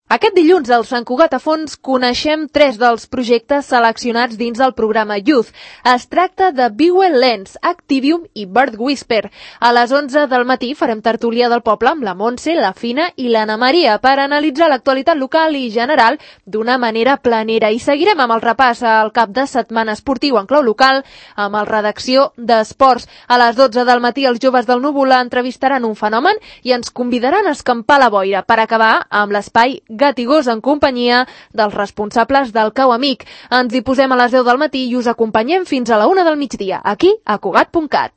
Aquest dilluns al Sant Cugat a Fons coneixem 3 dels projectes seleccionats dins del programa Youth. Es tracta de Bewell Lens, Activium i Bird Whisper. A les 11 del matí farem tertúlia del poble amb la Montse, la Fina i l'Anna Maria per analitzar l'actualitat local i general d'una manera planera. I seguirem amb el repàs al cap de setmana esportiu en clau local amb el redacció d'Esports. A les 12 del matí els joves del Núvol entrevistaran un fenomen i ens convidaran a escampar la boira per acabar amb l'espai Gat i Gos en companyia dels responsables del Cau Amic. Ens hi posem a les 10 del matí i us acompanyem fins a la 1 del migdia, aquí a Cugat.cat.